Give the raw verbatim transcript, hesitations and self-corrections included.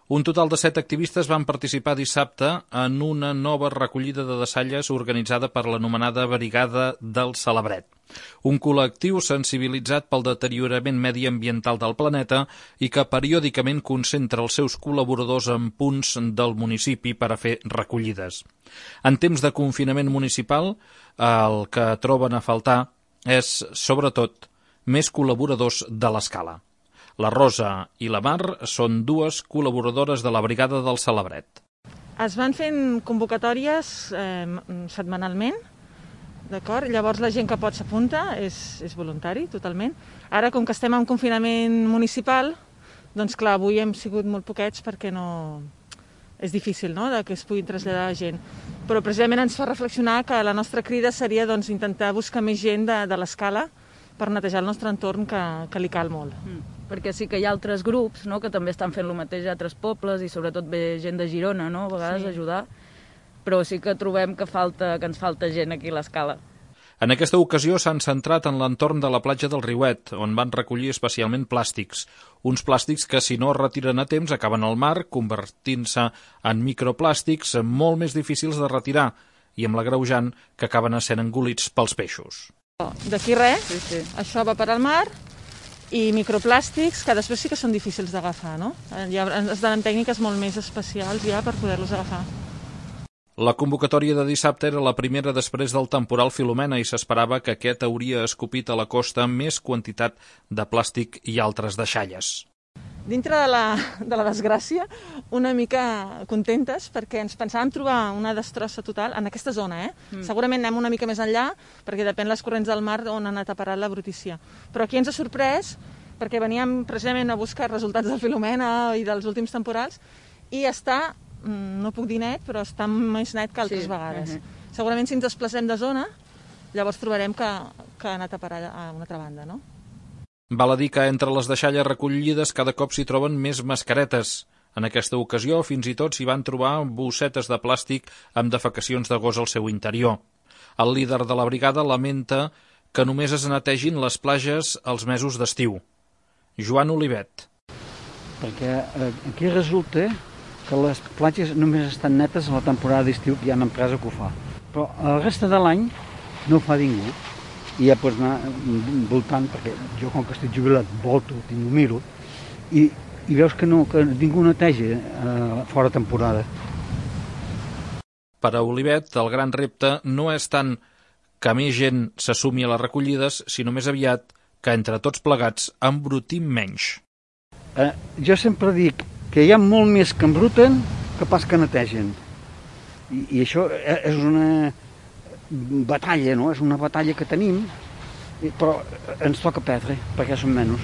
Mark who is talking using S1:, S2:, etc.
S1: Un total de set activistes van participar dissabte en una nova recollida de deixalles organitzada per l'anomenada Brigada del Celebret, un col·lectiu sensibilitzat pel deteriorament mediambiental del planeta i que periòdicament concentra els seus col·laboradors en punts del municipi per a fer recollides. En temps de confinament municipal, el que troben a faltar és, sobretot, més col·laboradors de l'escala. La Rosa i la Mar són dues col·laboradores de la Brigada del Celebret.
S2: Es van fent convocatòries eh, setmanalment, d'acord? Llavors la gent que pot s'apunta, és, és voluntari totalment. Ara, com que estem en confinament municipal, doncs clar, avui hem sigut molt poquets perquè no... és difícil, no?, de que es puguin traslladar gent. Però precisament ens fa reflexionar que la nostra crida seria doncs, intentar buscar més gent de, de l'escala per netejar el nostre entorn, que, que li cal molt.
S3: Mm. Perquè sí que hi ha altres grups, no?, que també estan fent el mateix a altres pobles i sobretot ve gent de Girona, no?, a vegades sí. ajudar, però sí que trobem que, falta, que ens falta gent aquí a l'escala.
S1: En aquesta ocasió s'han centrat en l'entorn de la platja del Riuet, on van recollir especialment plàstics. Uns plàstics que, si no es retiren a temps, acaben al mar, convertint-se en microplàstics molt més difícils de retirar i amb l'agreujant que acaben sent engolits pels peixos.
S2: D'aquí res,
S3: sí, sí.
S2: Això va per al mar i microplàstics que després sí que són difícils d'agafar, no? Ja es donen tècniques molt més especials ja per poder-los agafar.
S1: La convocatòria de dissabte era la primera després del temporal Filomena i s'esperava que aquest hauria escopit a la costa més quantitat de plàstic i altres deixalles.
S2: Dintre de la, de la desgràcia, una mica contentes perquè ens pensàvem trobar una destrossa total en aquesta zona, eh? Mm. Segurament anem una mica més enllà perquè depèn les corrents del mar on ha anat a parar la brutícia. Però aquí ens ha sorprès perquè veníem precisament a buscar resultats del Filomena i dels últims temporals i està, no puc dir net, però està més net que altres sí. vegades. Uh -huh. Segurament si ens desplacem de zona, llavors trobarem que, que ha anat a parar a una altra banda, no?
S1: Val a dir que entre les deixalles recollides cada cop s'hi troben més mascaretes. En aquesta ocasió, fins i tot s'hi van trobar bossetes de plàstic amb defecacions de gos al seu interior. El líder de la brigada lamenta que només es netegin les platges als mesos d'estiu. Joan Olivet.
S4: Perquè aquí resulta que les platges només estan netes a la temporada d'estiu, que hi ha una empresa que ho fa. Però la resta de l'any no ho fa ningú. I ja pots anar voltant, perquè jo com que estic jubilat volto, tinc, ho miro, i, i veus que, no, que ningú neteja eh, fora temporada.
S1: Per a Olivet, el gran repte no és tant que més gent s'assumi a les recollides, sinó més aviat que entre tots plegats embrutim menys.
S4: Eh, jo sempre dic que hi ha molt més que embruten que pas que netegen. I, i això és una batalla, no? És una batalla que tenim, però ens toca perdre, perquè som menys.